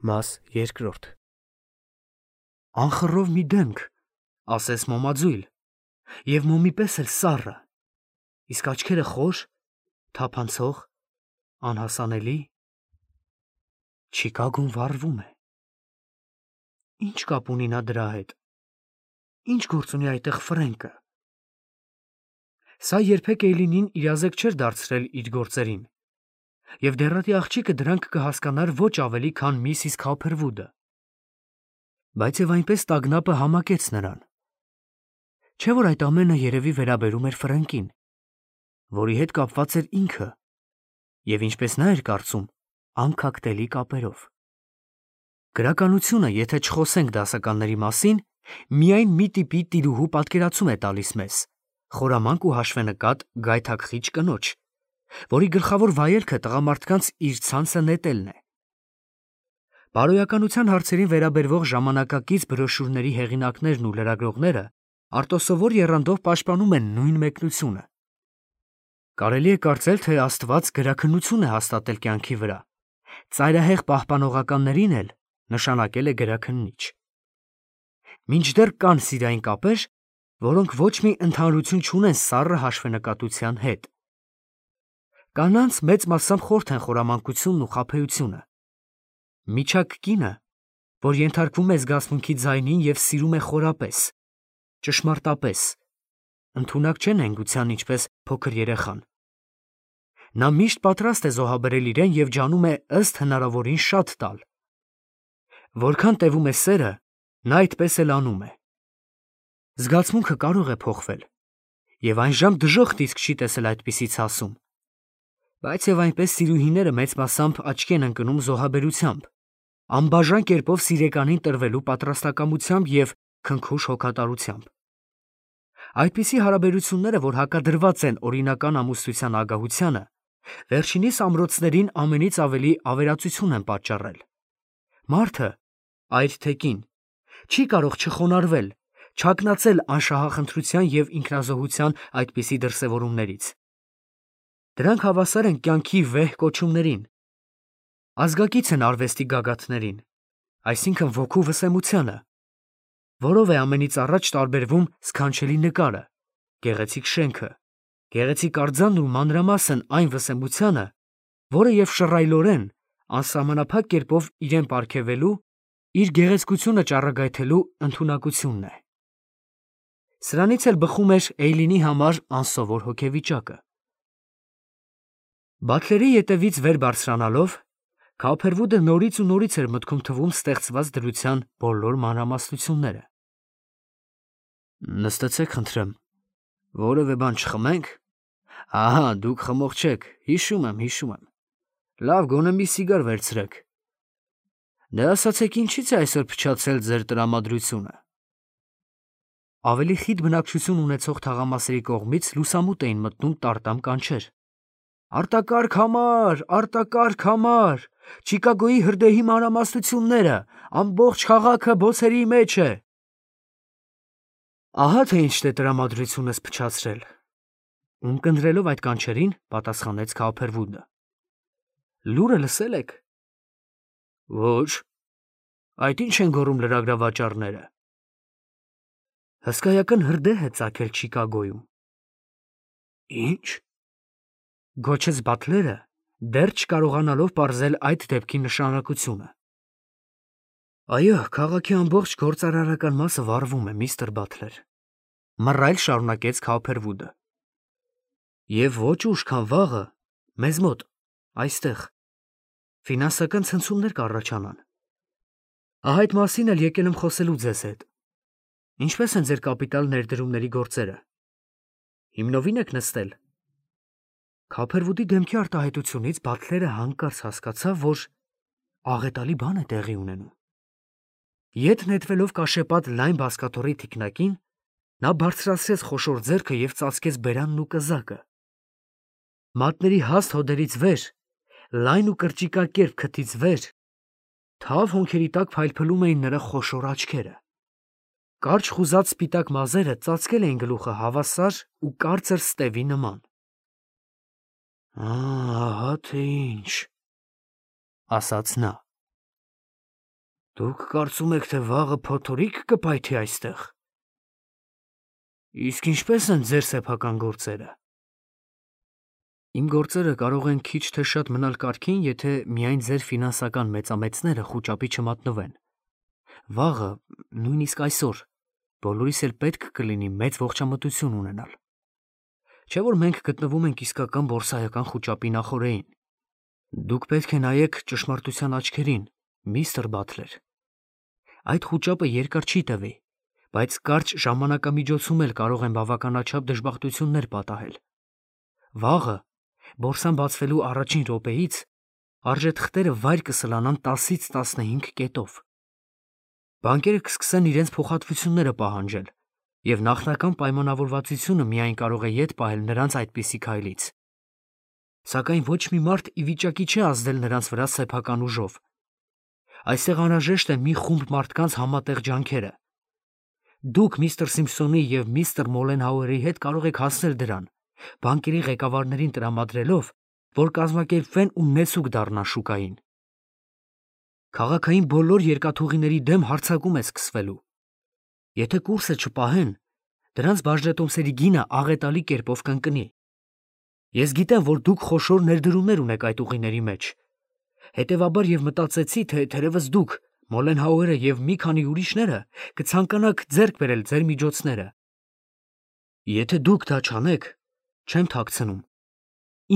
Մաս երկրորդ Անխռով մի դեմք, ասես մոմաձույլ, և մոմի պես էլ սառը, իսկ աչքերը խոր, թափանցող, անհասանելի, Չիկագոն վառվում է։ Ինչ կապ ունի նա դրա հետ, ինչ գործ ունի այդտեղ Ֆրենկը։ Սա երբեք Էյլինին իրազեկ չէր դարձրել իր գործերին, և դեռատի աղջիկը դրանք կհասկանար ոչ ավելի, քան Միսիս Քոփերվուդը։ Բայց և այնպես տագնապը համակեց նրան։ Չէ՞ որ այդ ամենը երևի վերաբերում էր Ֆրենկին, որի հետ կապված էր ինքը, և ինչպես նա էր կարծում, անքակտելի կապերով։ Գրականությունը, եթե չխոսենք դասականների մասին, միայն մի տիպի տիրուհու պատկերացում է տալիս մեզ, խորամանկ ու հաշվենկատ գայթակղիչ կնոջ, որի գլխավոր վայելքը տղամարդկանց իր ցանցը նետելն է։ Բարոյականության հարցերին վերաբերվող ժամանակակից բրոշյուրների հեղինակներն ու լրագրողները արտոսովոր եռանդով պաշտպանում են նույն մեկնությունը։ Կարելի է կարծել, թե Աստված գրաքննություն է հաստատել կյանքի վրա, ծայրահեղ պահպանողականներին էլ նշանակել է գրաքննիչ։ Մինչդեռ կան սիրային կապեր, որոնք ոչ մի ընդհանրություն չունեն սառը հաշվենկատության հետ։ Կանանց մեծ մասամբ խորթ են խորամանկությունն ու խաբեությունը։ Միջակ կինը, որ ենթարկվում է զգացմունքի ձայնին և սիրում է խորապես, ճշմարտապես, ընդունակ չէ նենգության, ինչպես փոքր երեխան։ Նա միշտ պատրաստ է զոհաբերել իրեն և ջանում է ըստ հնարավորին շատ տալ։ Որքան տևում է սերը, նա այդպես էլ անում է։ Զգացմունքը կարող է փոխվել, և այն ժամ դժոխք իսկ չի տեսել այդպիսի ցասում։ Բայց և այնպես սիրուհիները մեծ մասամբ աչքի են ընկնում զոհաբերությամբ, անբաժան կերպով սիրեկանին տրվելու պատրաստակամությամբ և քնքուշ հոգատարությամբ։ Այդպիսի հարաբերությունները, որ հակադրված են օրինական ամուսնության ագահությանը, վերջինիս ամրոցներին ամենից ավելի ավերածություն են պատճառել։ Մարդը, այր թե կին, չի կարող չխոնարհվել, չհագնացել անշահախնդրության և ինքնազոհության այդպիսի դրսևորումներից։ Դրանք հավասար են կյանքի վեհ կոչումներին, ազգակից են արվեստի գագաթներին, այսինքն ոգու վսեմությանը, որով է ամենից առաջ տարբերվում սքանչելի նկարը, գեղեցիկ շենքը, գեղեցիկ արձանն ու մանրամասն այն վսեմությանը, որը և շռայլորեն, անսահմանափակ կերպով իրեն պարգևելու, իր գեղեցկությունը ճառագայթելու ընդունակությունն է։ Սրանից էլ բխում էր Էյլինի համար անսովոր հոգեվիճակը։ Բաթլերի ետևից վեր բարձրանալով, Քոփերվուդը նորից ու նորից էր մտքում թվում ստեղծված դրության բոլոր մանրամասնությունները։ Նստեցեք, խնդրեմ, որևէ բան չխմենք։ Ահա, դուք խմող չեք, հիշում եմ։ Լավ, գոնե մի սիգար վերցրեք։ Դե ասացեք, ինչի՞ց է այսօր փչացել ձեր տրամադրությունը։ Ավելի խիտ բնակչություն ունեցող թաղամասերի կողմից լուսամուտ էին մտնում տարտամ կանչեր. Արտակարգ համար, Չիկագոյի հրդեհի մանրամասնությունները, ամբողջ քաղաքը բոցերի մեջ է։ Ահա թե ինչն է տրամադրությունս փչացրել։ Ունկնդրելով այդ կանչերին, պատասխանեց Քոփերվուդը։ Լուրը լսել եք։ Ոչ։ Այդ ինչ են գոռում լրագրավաճառները։ Հսկայական հրդեհ է ծագել Չիկագոյում։ Ինչ։ Գոչեց Բաթլերը, դեռ չկարողանալով պարզել այդ դեպքի նշանակությունը։ Այո, քաղաքի ամբողջ գործարարական մասը վառվում է, միստր Բաթլեր, մռայլ շարունակեց Քոփերվուդը։ Եվ ոչ ուշ, քան վաղը, մեզ մոտ, այստեղ, ֆինանսական ցնցումներ կառաջանան։ Ահա այդ մասին էլ եկել եմ խոսելու ձեզ հետ։ Ինչպե՞ս են ձեր կապիտալ ներդրումների գործերը։ Հիմնովին եք նստել։ Քոփերվուդի դեմքի արտահայտությունից Բաթլերը հանկարծ հասկացավ, որ աղետալի բան է տեղի ունենում։ Ետ նետվելով կաշեպատ լայն բազկաթոռի թիկնակին, նա բարձրացրեց խոշոր ձեռքը և ծածկեց բերանն ու կզակը։ Մատների հաստ հոդերից վեր, լայն ու կրճիկակերպ քթից վեր, թավ հոնքերի տակ փայլփլում էին նրա խոշոր աչքերը։ Կարճ խուզած սպիտակ մազերը ծածկել էին գլուխը հավասար ու կարծր ստևի նման։ Ահա թե ինչ, ասաց նա։ Դուք կարծում եք, թե վաղը փոթորիկ կպայթի այստեղ։ Իսկ ինչպես են ձեր սեփական գործերը։ Իմ գործերը կարող են քիչ թե շատ մնալ կարգին, եթե միայն ձեր ֆինանսական մեծամեծները խուճապի չմատնվեն։ Վաղը, նույնիսկ այսօր, բոլորիս էլ պետք կլինի մեծ ողջամտություն ունենալ։ Չէ՞ որ մենք գտնվում ենք իսկական բորսայական խուճապի նախօրեին։ Դուք պետք է նայեք ճշմարտության աչքերին, միստր Բաթլեր։ Այդ խուճապը երկար չի տևի, բայց կարճ ժամանակամիջոցում էլ կարող են բավականաչափ դժբախտություններ պատահել։ Վաղը, բորսան բացվելու առաջին րոպեից, արժեթղթերը վայր կսլանան 10-ից 15 կետով։ Բանկերը կսկսեն իրենց փոխհատվությունները պահանջել, և նախնական պայմանավորվածությունը միայն կարող է ետ պահել նրանց այդպիսի քայլից։ Սակայն ոչ մի մարդ ի վիճակի չէ ազդել նրանց վրա սեփական ուժով։ Այստեղ անհրաժեշտ է մի խումբ մարդկանց համատեղ ջանքերը։ Դուք միստր Սիմփսոնի և միստր Մոլենհաուերի հետ կարող եք հասնել դրան, բանկերի ղեկավարներին տրամադրելով, որ կազմակերպվեն ու նեցուկ դառնան շուկային։ Քաղաքային բոլոր երկաթուղիների դեմ հարձակում է սկսվելու։ Եթե կուրսը չպահեն, դրանց բաժնետոմսերի գինը աղետալի կերպով կընկնի։ Ես գիտեմ, որ դուք խոշոր ներդրումներ ունեք այդ ուղիների մեջ։ Հետևաբար և մտածեցի, թե թերևս դուք, Մոլենհաուերը և մի քանի ուրիշները կցանկանաք ձեռք բերել ձեր միջոցները։ Եթե դուք դա չանեք, չեմ թաքցնում,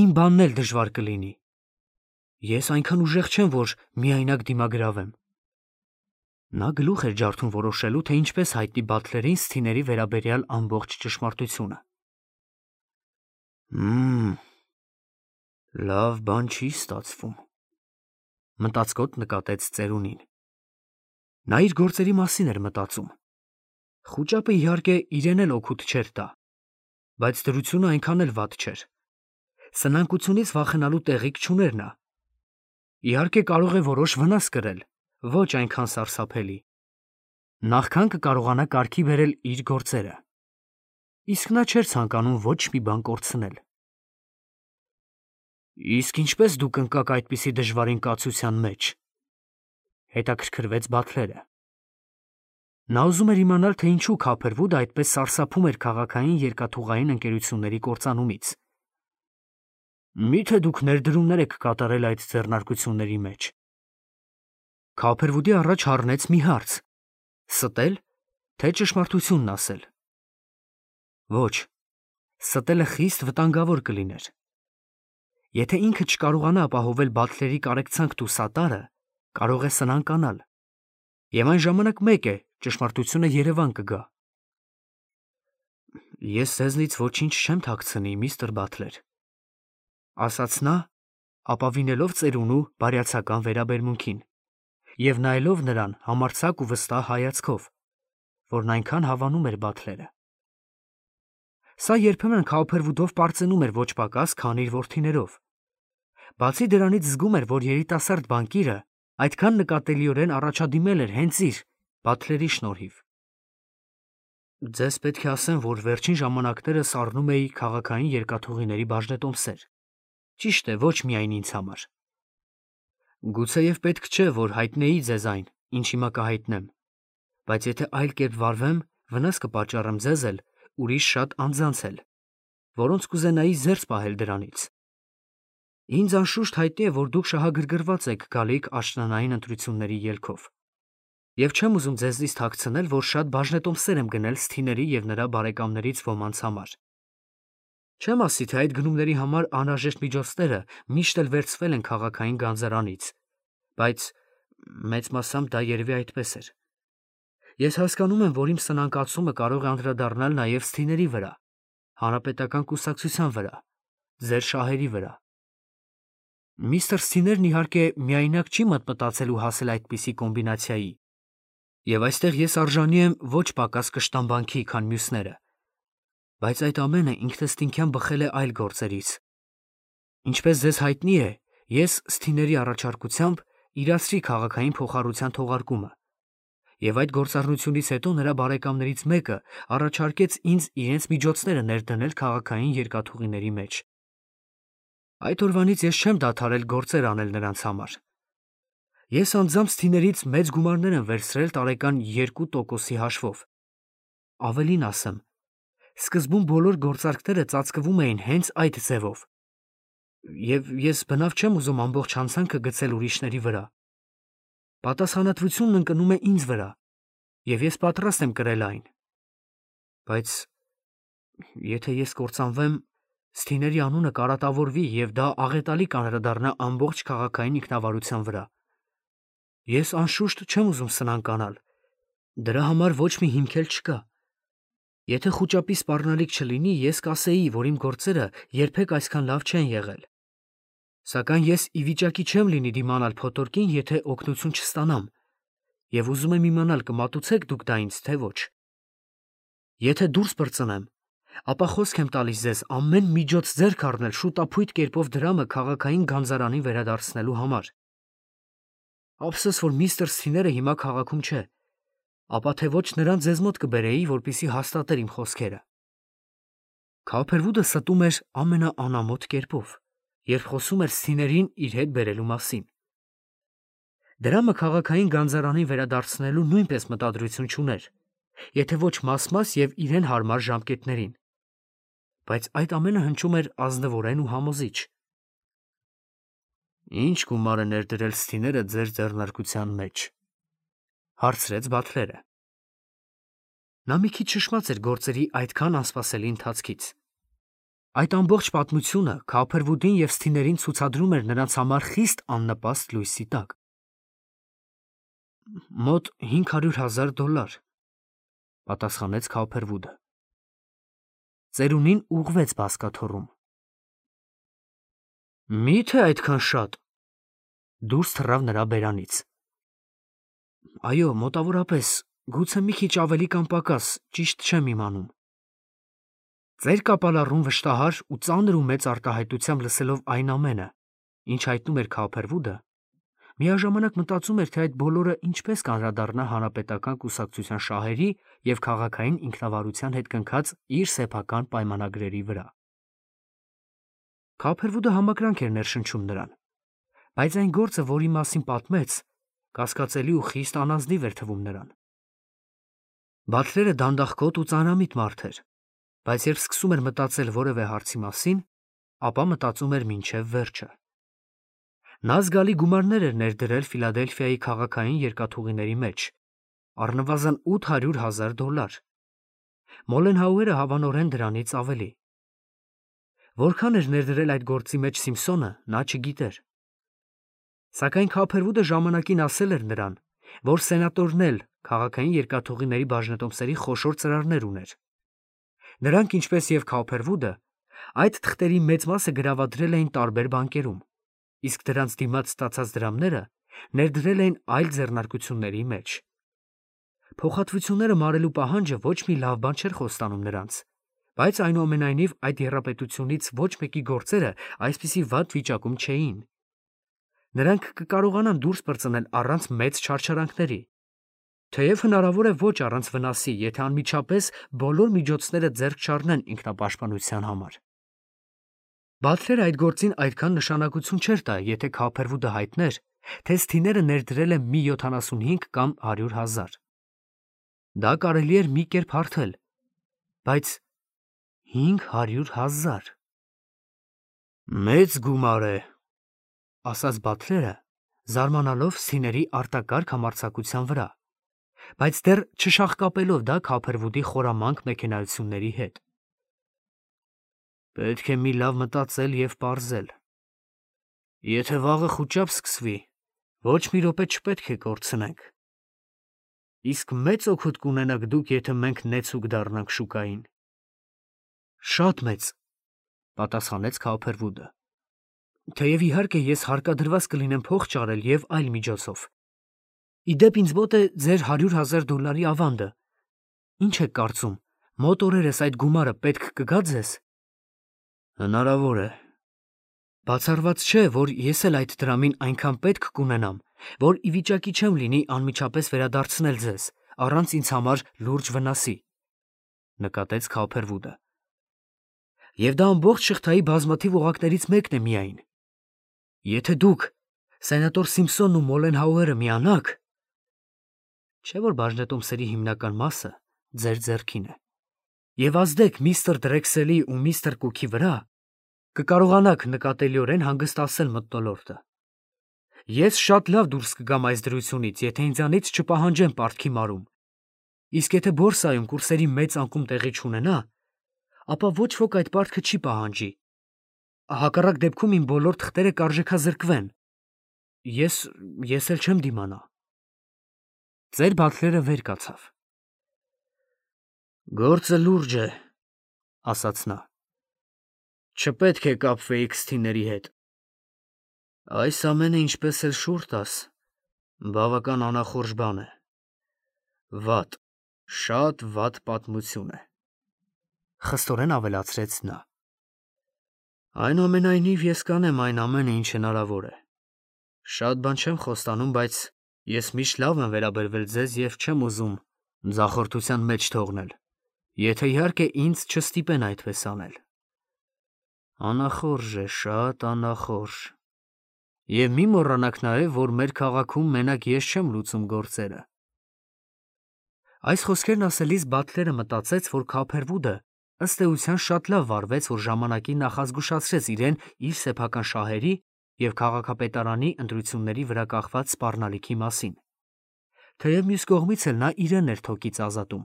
իմ բանն էլ դժվար կլինի։ Ես այնքան ուժեղ չեմ, որ միայնակ դիմագրավեմ։ Նա գլուխ էր ջարդում որոշելու, թե ինչպես հայտնի Բաթլերին Սթիների վերաբերյալ ամբողջ ճշմարտությունը։ Լավ բան չի ստացվում, մտածկոտ նկատեց ծերունին։ Նա իր գործերի մասին էր մտածում։ Խուճապը իհարկե իրեն էլ օգուտ չէր տա, բայց դրությունը այնքան էլ վատ չէր։ Սնանկությունից վախենալու տեղիք չուներ նա։ Իհարկե կարող է որոշ վնաս կրել, ոչ այնքան սարսափելի։ Նախքան կկարողանա կարգի բերել իր գործերը։ Իսկ նա չէր ցանկանում ոչ մի բան կորցնել։ Իսկ ինչպես դուք ընկաք այդպիսի դժվարին կացության մեջ, հետաքրքրվեց Բաթլերը։ Նա ուզում էր իմանալ, թե ինչու Քափերվուդը այդպես սարսափում էր քաղաքային երկաթուղային ընկերությունների կործանումից։ Մի՞թե դուք ներդրումներ եք կատարել այդ ձեռնարկությունների մեջ։ Քափերվուդի առաջ հառնեց մի հարց. ստել, թե ճշմարտությունն ասել։ Ոչ, ստելը խիստ վտանգավոր կլիներ։ Եթե ինքը չկարողանա ապահովել Բաթլերի կարեկցանքն ու սատարը, կարող է սնանկանալ։ Եվ այն ժամանակ մեկ է, ճշմարտությունը երևան կգա։ Ես ձեզնից ոչինչ չեմ թաքցնի, միստր Բաթլեր, ասաց նա, ապավինելով ծերունու բարյացակամ վերաբերմունքին և նայելով նրան համարձակ ու վստահ հայացքով, որն այնքան հավանում էր Բաթլերը։ Սա երբեմն Քափերվուդով պարծենում էր ոչ պակաս, քան իր որդիներով։ Բացի դրանից զգում էր, որ երիտասարդ բանկիրը այդքան նկատելիորեն առաջադիմել էր հենց իր, Բաթլերի շնորհիվ։ Ձեզ պետք է ասեմ, որ վերջին ժամանակներս առնում էի քաղաքային երկաթուղիների բաժնետոմսեր։ Ճիշտ է, ոչ միայն ինձ համար։ Գուցեև պետք չէ, որ հայտնեի ձեզ այն, ինչ հիմա կհայտնեմ, բայց եթե այլ կերպ վարվեմ, վնաս կպատճառեմ ձեզ էլ, ուրիշ շատ անձանց էլ, որոնց կուզենայի զերծ պահել դրանից։ Ինձ անշուշտ հայտնի է, որ դուք շահագրգռված եք գալիք աշնանային ընտրությունների ելքով։ Եվ չեմ ուզում ձեզնից թաքցնել, որ շատ բաժնետոմսեր եմ գնել Սթիների և նրա բարեկամներից ոմանց համար։ Չեմ ասի, թե այդ գնումների համար անհրաժեշտ միջոցները միշտ էլ վերցվել են քաղաքային գանձարանից, բայց մեծ մասամբ դա երևի այդպես էր։ Ես հասկանում եմ, որ իմ սնանկացումը կարող է անդրադառնալ նաև Սթիների վրա, հանրապետական կուսակցության վրա, ձեր շահերի վրա։ Միստր Սթիներն իհարկե միայնակ չի մտածել ու հասել այդպիսի կոմբինացիայի, և այստեղ ես արժանի եմ ոչ պակաս կշտամբանքի, քան մյուսները, բայց այդ ամենը ինքնըստինքյան բխել է այլ գործերից։ Ինչպես ձեզ հայտնի է, ես Սթիների առաջարկությամբ իրացրի քաղաքային փոխառության թողարկումը, և այդ գործառնությունից հետո նրա բարեկամներից մեկը առաջարկեց ինձ իրենց միջոցները ներդնել քաղաքային երկաթուղիների մեջ։ Այդ օրվանից ես չեմ դադարել գործեր անել նրանց համար։ Ես անձամբ Սթիներից մեծ գումարներ եմ վերցրել տարեկան 2%-ի հաշվով։ Ավելին ասեմ, սկզբում բոլոր գործարքները ծածկվում էին հենց այդ ձևով։ Եվ ես բնավ չեմ ուզում ամբողջ հանցանքը գցել ուրիշների վրա։ Պատասխանատվությունն ընկնում է ինձ վրա, եւ ես պատրաստ եմ կրել այն։ Բայց եթե ես կործանվեմ, Սթիների անունը կարատավորվի եւ դա աղետալի կանրադառնա ամբողջ քաղաքային ինքնավարության վրա։ Ես անշուշտ չեմ ուզում սնանկանալ։ Դրա համար ոչ մի հիմք էլ չկա։ Եթե խուճապի սպառնալիք չլինի, ես կասեի, որ իմ գործերը երբեք այսքան լավ չեն եղել։ Սակայն ես ի վիճակի չեմ լինի դիմանալ փոթորկին, եթե օգնություն չստանամ, եւ ուզում եմ իմանալ կմատուցեք դուք դա ինձ, թե ոչ։ Եթե դուրս պրծնեմ, ապա խոսք եմ տալիս ձեզ ամեն միջոց ձեռք առնել շուտափույթ կերպով դրամը քաղաքային գանձարանին վերադարձնելու համար։ Ափսոս, որ միստր Սթիները հիմա քաղաքում չէ, ապա թե ոչ նրան ձեզ մոտ կբերեի, որպեսզի հաստատեր իմ խոսքերը։ Քափերվուդը ստում էր ամենաանամոթ կերպով, երբ խոսում էր Սթիներին իր հետ բերելու մասին։ Դրամը քաղաքային գանձարանին վերադարձնելու նույնպես մտադրություն չուներ, եթե ոչ մաս-մաս եւ իրեն հարմար ժամկետներին։ Բայց այդ ամենը հնչում էր ազնվորեն ու համոզիչ։ Ինչ գումար է ներդրել Սթիները ձեր ձեռնարկության մեջ, հարցրեց Բաթլերը։ Նա մի քիչ շշմած էր գործերի այդքան անսպասելի ընթացքից։ Այդ ամբողջ պատմությունը Քափերվուդին եւ Սթիներին ցուցադրում էր նրանց համար խիստ աննպաստ լույսի տակ։ Մոտ $500,000, պատասխանեց Քափերվուդը։ Ծերունին ուղղվեց բազկաթոռում։ Մի՞թե այդքան շատ։ Դուրս թռավ նրա բերանից։ Այո, մոտավորապես, գուցե մի քիչ ավելի կամ պակաս, ճիշտ չեմ իմանում։ Ձեր կապալառուն վշտահար ու ծանր ու մեծ արտահայտությամբ լսելով այն ամենը, ինչ հայտնում էր Քափերվուդը, միաժամանակ մտածում էր, թե այդ բոլորը ինչպես կանրադառնա հանրապետական կուսակցության շահերի եւ քաղաքային ինքնավարության հետ կնքած իր սեփական պայմանագրերի վրա։ Քափերվուդը համակրանք էր ներշնչում նրան, բայց այն գործը, որի մասին պատմեց, կասկածելի ու խիստ անազնիվ էր թվում նրան։ Բաթլերը դանդաղկոտ ու ծանրամիտ մարդ էր, բայց երբ սկսում էր մտածել որևէ հարցի մասին, ապա մտածում էր մինչև վերջը։ Նա զգալի գումարներ էր ներդրել Ֆիլադելֆիայի քաղաքային երկաթուղիների մեջ, առնվազն $800,000։ Մոլենհաուերը հավանորեն դրանից ավելի։ Որքան էր ներդրել այդ գործի մեջ Սիմփսոնը, նա չգիտեր։ Սակայն Քափերվուդը ժամանակին ասել էր նրան, որ սենատորն էլ քաղաքային երկաթուղիների բաժնետոմսերի խոշոր ծրարներ ուներ։ Նրանք, ինչպես եւ Քափերվուդը, այդ թղթերի մեծ մասը գրավադրել էին տարբեր բանկերում, իսկ դրանց դիմաց ստացած դրամները ներդրել էին այլ ձեռնարկությունների մեջ։ Փոխհատվությունները մարելու պահանջը ոչ մի լավ բան չէր խոստանում նրանց, բայց այնուամենայնիվ այդ եռապետությունից ոչ մեկի գործերը այսպիսի վատ վիճակում չէին։ Նրանք կկարողանան դուրս պրծնել առանց մեծ չարչարանքների, թեև հնարավոր է ոչ առանց վնասի, եթե անմիջապես բոլոր միջոցները ձեռք չառնեն ինքնապաշտպանության համար։ Բաթլերը այդ գործին այդքան նշանակություն չէր տա, եթե Քափերվուդը հայտներ, թե Սթիները ներդրել է մի 75 կամ 100,000։ Դա կարելի էր մի կերպ հարթել, բայց 500,000… Մեծ գումար է, ասաց Բաթլերը, զարմանալով Սթիների արտակարգ համարձակության վրա, բայց դեռ չշաղկապելով դա Քափերվուդի խորամանկ մեքենայությունների հետ։ Պետք է մի լավ մտածել եւ պարզել։ Եթե վաղը խուճապ սկսվի, ոչ մի րոպե չպետք է կորցնենք։ Իսկ մեծ օգուտ կունենաք դուք, եթե մենք նեցուկ դառնանք շուկային։ Շատ մեծ, պատասխանեց Քափերվուդը։ Թեև իհարկե ես հարկադրված կլինեմ փող ճարել եւ այլ միջոցով։ Իդեպ ինձ մոտ է ձեր $100,000 ավանդը։ Ինչ եք կարծում, մոտ օրերս այդ գումարը պետք կգա ձեզ։ Հնարավոր է։ Բացառված չէ, որ ես էլ այդ դրամին այնքան պետք կունենամ, որ ի վիճակի չեմ լինի անմիջապես վերադարձնել ձեզ, առանց ինձ համար լուրջ վնասի, նկատեց Քափերվուդը։ Եվ դա ամբողջ շղթայի բազմաթիվ օղակներից մեկն է միայն։ Եթե դուք Սենատոր Սիմփսոնն ու Մոլենհաուերը միանաք, չէ՞ որ բաժնետոմսերի հիմնական մասը ձեր ձեռքին է, եւ ազդեք միստր Դրեքսելի ու միստր Կուքի վրա, կկարողանաք նկատելիորեն հանգստացնել մթնոլորտը։ Ես շատ լավ դուրս կգամ այս դրությունից, եթե ինձանից չպահանջեն պարտքի մարում, իսկ եթե բորսայում կուրսերի մեծ անկում տեղի չունենա, ապա ոչ ոք այդ պարտքը չի պահանջի։ Հակառակ դեպքում իմ բոլոր թղթերը կարժեքազրկվեն։ Ես էլ չեմ դիմանա։ Ձեր Բաթլերը վեր կացավ։ Գործը լուրջ է, ասաց նա։ Չպետք է կապվեիք քստիների հետ։ Այս ամենը, ինչպես էլ շուռ տաս, բավական անախորժ բան է։ Վատ, շատ վատ պատմություն է, խստորեն ավելացրեց նա։ Այնուամենայնիվ ես կանեմ այն ամենը, ինչ հնարավոր է։ Շատ բան չեմ խոստանում, բայց ես միշտ լավ եմ վերաբերվել ձեզ եւ չեմ ուզում ձախորդության մեջ թողնել, եթե իհարկե ինձ չստիպեն այդպես անել։ Անախորժ է, շատ անախորժ։ Եվ մի մոռանաք նաեւ, որ մեր քաղաքում մենակ ես չեմ լուծում գործերը։ Այս խոսքերն ասելիս Բաթլերը մտածեց, որ Քոփերվուդը ըստ էության շատ լավ վարվեց, որ ժամանակին նախազգուշացրեց իրեն իր սեփական շահերի եւ քաղաքապետարանի ընտրությունների վրա կախված սպառնալիքի մասին, թեև մյուս կողմից էլ նա իրեն էր թոքից ազատում։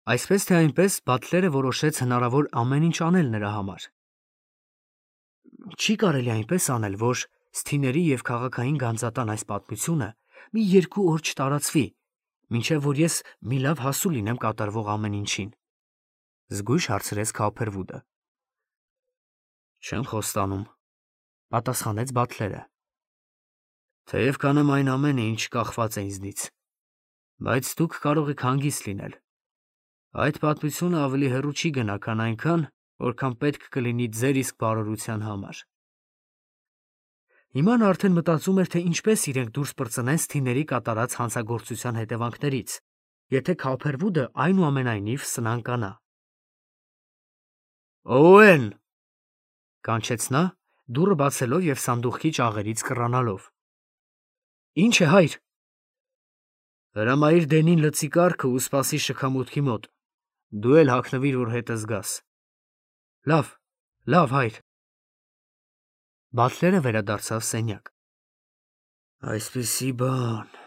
Այսպես թե այնպես Բաթլերը որոշեց հնարավոր ամեն ինչ անել նրա համար։ Չի կարելի այնպես անել, որ սթիների եւ քաղաքային գանձատան այս պատմությունը մի 2 օր չտարածվի, մինչև որ ես մի լավ հասու լինեմ կատարվող ամեն ինչին, զգույշ հարցրեց Քոփերվուդը։ Չեմ խոստանում, պատասխանեց Բաթլերը։ Թեև կանեմ այն ամենը, ինչ կախված է ինձնից, բայց դուք կարող եք հանգիստ լինել։ Այդ պատմությունը ավելի հեռու չի գնա, քան այնքան, որքան պետք կլինի ձեր իսկ բարօրության համար։ Հիմա նա արդեն մտածում էր, թե ինչպես իրենք դուրս պրծնեն սթիների կատարած հանցագործության հետևանքներից, եթե Քոփերվուդը այնուամենայնիվ սնանկանա։ Օուեն, կանչեց նա, դուռը բացելով եւ սանդուղքի ճաղերից կռանալով։ Ինչ է, հայր։ Հրամայիր Դենին լցի կառքը ու սպասի շքամուտքի մոտ։ Դու էլ հագնվիր, որ հետս գաս։ Լավ, հայր։ Բաթլերը վերադարձավ սենյակ։ Այսպիսի բան։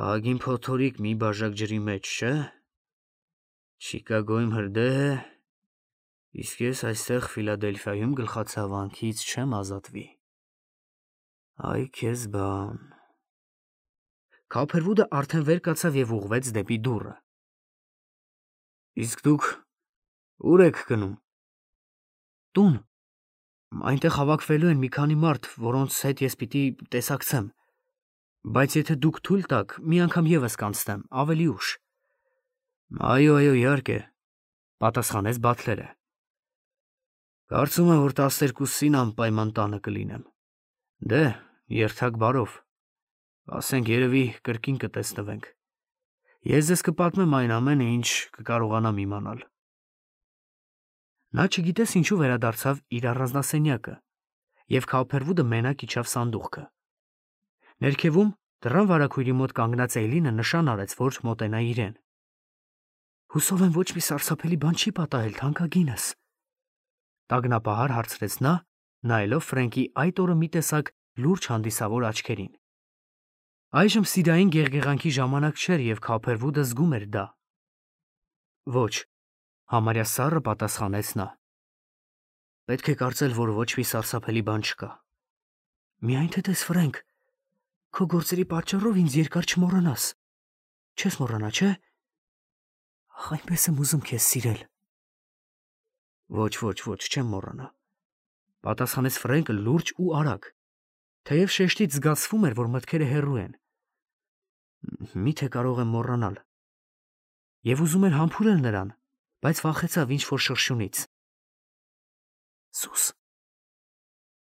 Ահագին փոթորիկ մի բաժակ ջրի մեջ, չէ՞։ Չիկագոյում հրդեհ է, իսկ ես այստեղ Ֆիլադելֆիայում գլխացավանքից չեմ ազատվի։ Այ քեզ բան։ Քոփերվուդը արդեն վեր կացավ եւ ուղղվեց դեպի դուռը։ Իսկ դուք ուր եք գնում։ Տուն։ Այնտեղ հավաքվելու են մի քանի մարդ, որոնց հետ ես պիտի տեսակցեմ, բայց եթե դուք թույլ տաք, մի անգամ եւս կանցնեմ, ավելի ուշ։ Այո, իհարկե, պատասխանեց Բաթլերը։ Կարծում եմ, որ 12-ին անպայման տանը կլինեմ։ Դե, երթակ բարով։ Ասենք երևի կրկին կտեսնվենք։ Ես ձեզ կպատմեմ այն ամենը, ինչ կկարողանամ իմանալ։ Նա չգիտես ինչու վերադարձավ իր առանձնասենյակը, եւ Քոփերվուդը մենակ իջավ սանդուղքը։ Ներքևում դռան վարագույրի մոտ կանգնած Էյլինը նշան արեց, որ մոտենա իրեն։ Հուսով եմ ոչ մի սարսափելի բան չի պատահել, թանկագինս։ Տագնապահար հարցրեց նա, նայելով Ֆրենկի այդ օրը մի տեսակ լուրջ հանդիսավոր աչքերին։ Այժմ սիրային գեղգեղանքի ժամանակ չէր եւ Քոփերվուդը զգում էր դա։ Ոչ, համարյա սառը պատասխանեց նա։ Պետք է կարծել, որ ոչ մի սարսափելի բան չկա։ Միայն թե տես, Ֆրենկ, քո գործերի պատճառով ինձ երկար չմոռանաս։ Չես մոռանա, չէ՞։ Ախ, այնպես եմ ուզում քեզ սիրել։ Ոչ, չեմ մոռանա, պատասխանեց Ֆրենկը լուրջ ու արագ, թեև շեշտից զգացվում էր, որ մտքերը հեռու են։ Միթե կարող եմ մոռանալ։ Եվ ուզում էր համբուրել նրան, բայց վախեցավ ինչ-որ շրշյունից։ Սուս։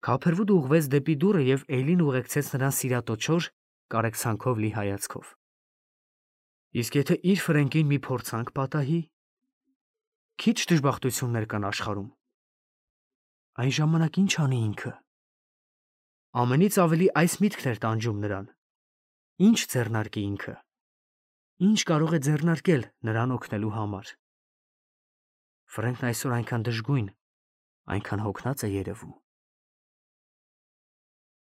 Քոփերվուդը ուղղվեց դեպի դուռը եւ Էյլին ուղեկցեց նրան սիրատոչոր, կարեկցանքով լի հայացքով։ Իսկ եթե իր Ֆրենկին մի փորձանք պատահի, քիչ դժբախտություններ կան աշխարհում։ Այն ժամանակ ինչ անի ինքը։ Ամենից ավելի այս միտքն էր տանջում նրան. ինչ ձեռնարկի ինքը, ինչ կարող է ձեռնարկել նրան օգնելու համար։ Ֆրենքն այսօր այնքան դժգույն, այնքան հոգնած է երևում։